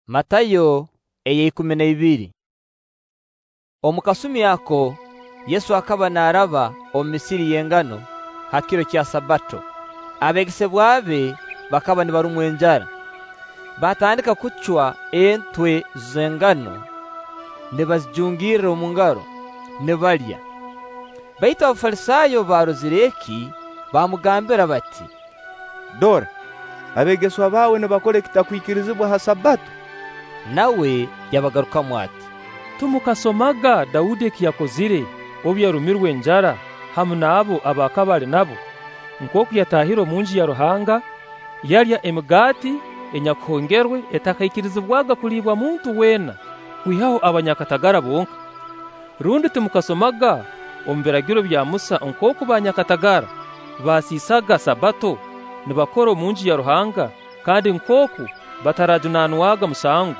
Matayo 12. Omu kasumi ako Yesu akaba naaraba omu misiri y'engano ha kiro kya Sabbato. Abeegesebwa be bakaba nibarumwa enjara, baatandika kucwa entwe z'engano nibazijungirra omu ngaro, nibalya. Baitu Abafalisaayo obu baarozire eki, baamugambira bati: "Dora, abeegeswa baawe nibakora ekitakwikirizibwa ha Sabbato." Nawe yabagarukamu ati: "Timukasomaga Daudi eki yakozire obu yarumirwe enjara hamu n'abo aba akaba ali nabo, nkooku yataahire omunju ya Ruhanga, yalya emigaati enyakuhongerwe etakaikirizibwaga kuliibwa muntu weena, kwihaho abanyakatagara bonka? Rundi timukasomaga omu biragiro bya Musa nkooku banyakatagara basiisaga Sabbato nibakora omunju ya Ruhanga, kandi nkooku batarajunaanwaga musango?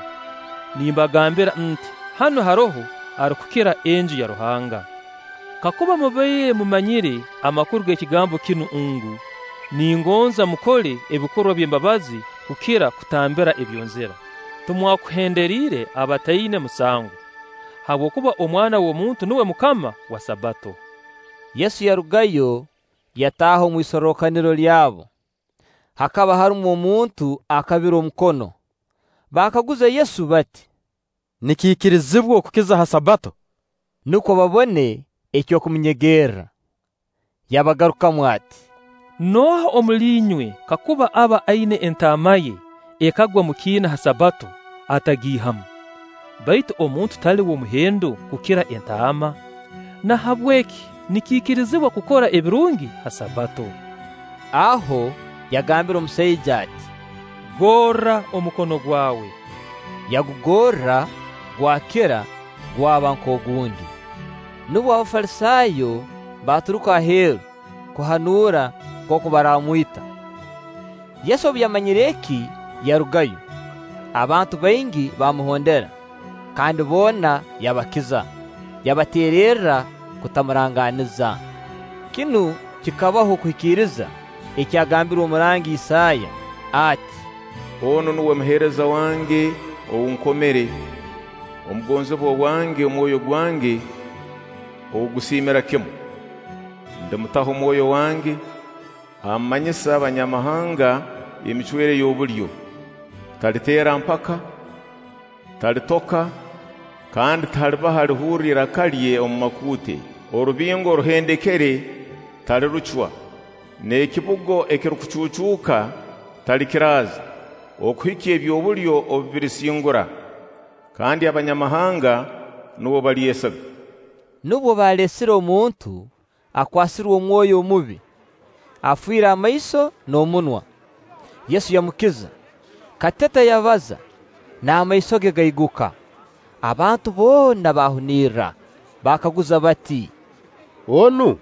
Nimbagambira nti: Hanu haroho arukukira enju ya Ruhanga. Kakuba mubaire mumanyire amakuru g'ekigambo kinu ngu: Ningonza mukole ebikorwa by'embabazi kukira kutambira ebyonzira, timwakuhenderiire abataina musango. Habwokuba Omwana w'omuntu nuwe MUKAMA wa Sabbato." Yesu yarugayo, yataaha omu isorrokaniro lyabo. Hakaba harumu omuntu akabire omukono. Baakaguza Yesu bati: "Nikiikirizibwa okukiza ha Sabbato?" Nukwo babone eky'okumunyegerra. Yabagarukamu ati: "Nooha omuli inywe kakuba aba aina entaama ye ekagwa omu kiina ha Sabbato, atagiihamu? Baitu omuntu tali w'omuhendo kukira entaama? Nahabweki nikiikirizibwa kukora ebirungi ha Sabbato." Aho yagambira omusaija ati: "Gorra omukono gwawe." Yagugorra, gwakira, gwaba nk'ogundi. Nubwo Abafalisaayo baaturuka aheeru kuhanuura nkooku baraamwita. Yesu obu yamanyire eki, yarugayo. Abantu baingi baamuhondera, kandi boona yabakiza, yabateererra kutamurangaaniza. Kinu kikabaho kuhikiriza ekyagambirwe omurangi Isaaya ati: "Onu nuwe muheereza wange ou nkomere, omugonzibwa wange omwoyo gwange ou gusiimira kimu. Ndimutaho Mwoyo wange, amanyisa abanyamahanga emicwere y'obulyo. Taliteera mpaka, talitoka, kandi tihalibaho alihurra iraka lye omu makuute. Orubingo oruhendekere talirucwa, n'ekibugo ekirukucuucuuka talikiraaza, okuhikya eby'obulyo obu birisingura, kandi abanyamahanga nuwe balyesiga." Nubwo baaleesire omuntu akwasirwe omwoyo omubi, afiire amaiso n'omunwa. Yesu yamukiza, kateta yabaza, n'amaiso ge gaiguka. Abantu boona baahunirra, baakaguza bati: "Onu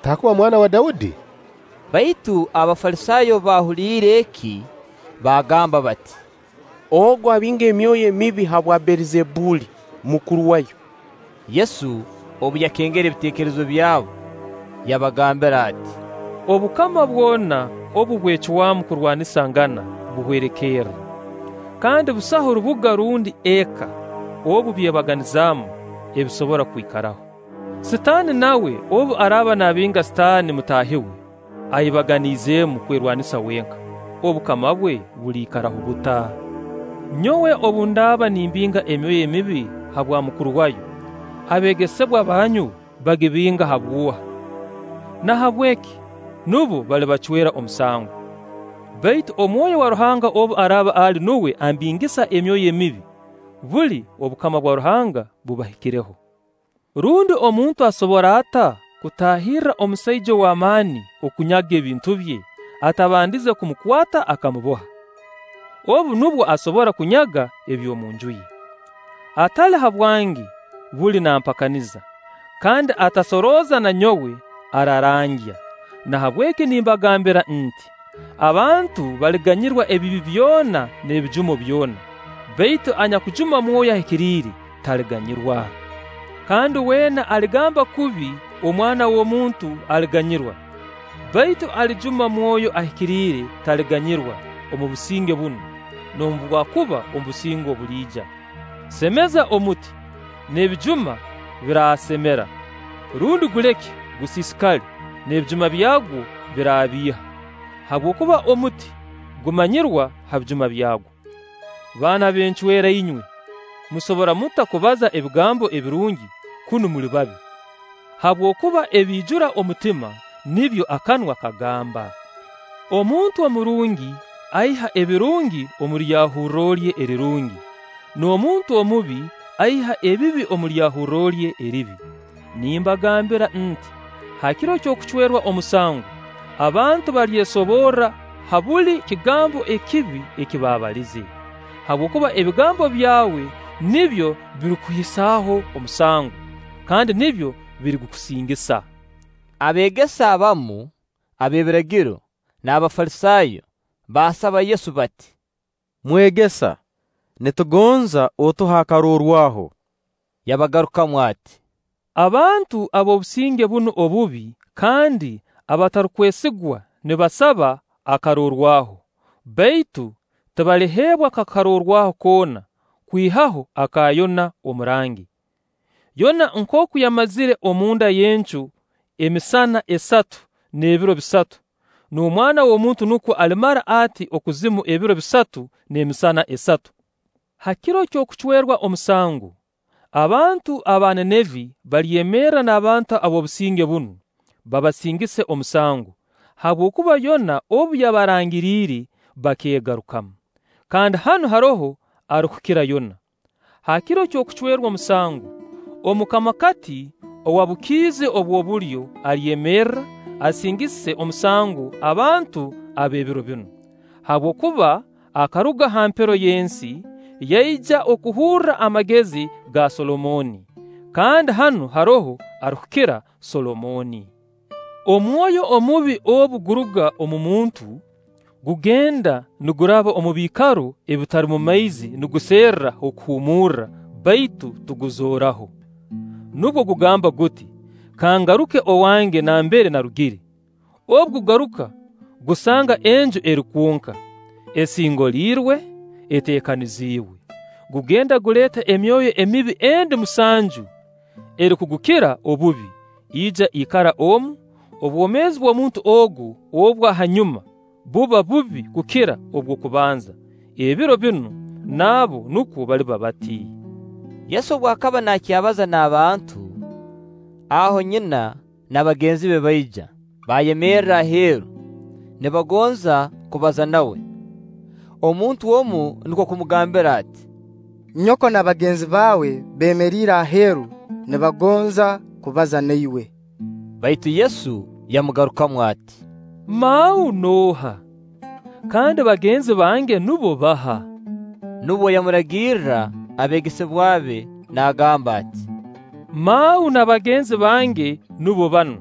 takuba mwana wa Daudi?" Baitu Abafalisaayo obu baahuliire eki, baagamba bati: "Ogu abinga emyoyo emibi habwa Beelizebuli, mukuru wayo." Yesu obu yakengere ebiteekerezo byabo, yabagambira ati: "Obukama bwona obu bwecwamu kurwanisangana, buhwerekerra. Kandi busaho rubuga rundi eka obu byebaganizaamu ebisobora kwikaraho. Sitaani nawe obu araaba naabinga Sitaani mutaahi we, ayebaganiizeemu kwerwanisa wenka, obukama bwe buliikaraho buta? Nyowe obu ndaaba nimbinga emyoyo emibi habwa mukuru wayo, abeegesebwa banyu bagibinga habw'oha? Nahabweki nubo balibacwera omusango. Baitu Omwoyo wa Ruhanga obu araaba ali nuwe ambingisa emyoyo emibi, buli obukama bwa Ruhanga bubahikireho. Rundi omuntu asobora ata kutaahirra omusaija ow'amaani okunyaga ebintu bye, atabandize kumukwata akamuboha? Obu nubwo asobora kunyaga eby'omunju ye. Atali habwange buli nampakaniza, kandi atasorooza na nyowe ararangya. Nahabweki nimbagambira nti: Abantu baliganyirwa ebibi byona n'ebijumo byona, baitu anyakujuma Mwoyo Ahikiriire taliganyirwa. Kandi weena aligamba kubi Omwana w'omuntu aliganyirwa, baitu alijuma Mwoyo Ahikiriire taliganyirwa omu businge bunu, n'obu bwakuba omu businge obuliija. Semeza omuti, n'ebijuma biraasemera; rundi guleke gusiisikale, n'ebijuma byagwo biraabiiha. Habwokuba omuti gumanyirwa ha bijuma byagwo. Baana b'encwera inywe, musobora muta kubaza ebigambo ebirungi, kunu muli babi? Habwokuba ebiijura omutima, nibyo akanwa kagamba. Omuntu omurungi aiha ebirungi omu lyahurro lye erirungi, n'omuntu omubi aiha ebibi omu lyahurro lye eribi. Nimbagambira nti: Ha kiro ky'okucwerwa omusango, abantu balyesoborra ha buli kigambo ekibi eki baabalize. Habwokuba ebigambo byawe nibyo birikukuhisaho omusango, kandi nibyo birigukusingisa. Abeegesa abamu ab'ebiragiro n'Abafalisaayo baasaba Yesu bati: "Mwegesa, nitugonza otuhe akarorwaho." Yabagarukamu ati: Abantu ab'obusinge bunu obubi kandi abatarukwesigwa nibasaba akarorwaho; baitu tibaliheebwa karorwaho koona kwihaho aka Yona omurangi. Yona nkooku yamazire omunda y'encu emisana esatu n'ebiro bisatu, n'Omwana w'omuntu nukwo alimara ati okuzimu ebiro bisatu n'emisana esatu. Ha kiro ky'okucwerwa omusango, abantu aba Nineeve balyemerra n'abantu ab'obusinge bunu, babasingise omusango, habwokuba Yona obu yabarangiriire, bakeegarukamu. Kandi hanu haroho arukukira Yona. Ha kiro ky'okucwerwa omusango, omukamakati owa bukiizi obw'obulyo alyemerra, asingise omusango abantu ab'ebiro binu; habwokuba akaruga ha mpero y'ensi, yaija okuhurra amagezi ga Solomooni; kandi hanu haroho arukukira Solomooni. Omwoyo omubi obu guruga omu muntu, gugenda niguraba omu biikaro ebitarumu maizi niguserra h'okuhuumurra, baitu tuguzooraho. Nubwo gugamba guti: ‘Kangaruke owange nambere narugire.’ Obu gugaruka, gusanga enju eri kwonka, esingoliirwe, eteekaniziibwe. Gugenda guleeta emyoyo emibi endi musanju erukugukira obubi, ija ikara omu; obwomeezi bw'omuntu ogu obwa hanyuma buba bubi kukira obw'okubanza. Ebiro binu nabo nukwo baliba bati.” Yesu obu akaba naakyabaza n'abantu, aho nyina na bagenzi be baija, baayemerra aheeru, nibagonza kubaza nawe. Omuntu omu nukwo kumugambira ati: "Nyoko na bagenzi baawe beemeriire aheeru, nibagonza kubaza na iwe." Baitu Yesu yamugarukamu ati: “Mau nooha? Kandi bagenzi bange nubo baha?” Nubwo yamuragirra abeegesebwa be naagamba ati: “Mau na bagenzi bange nubo banu.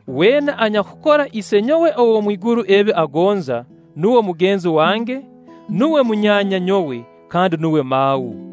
Weena anyakukora Isenyowe ow'omwiguru ebi agonza, nuwe mugenzi wange, nuwe munyaanya nyowe, kandi nuwe mau.”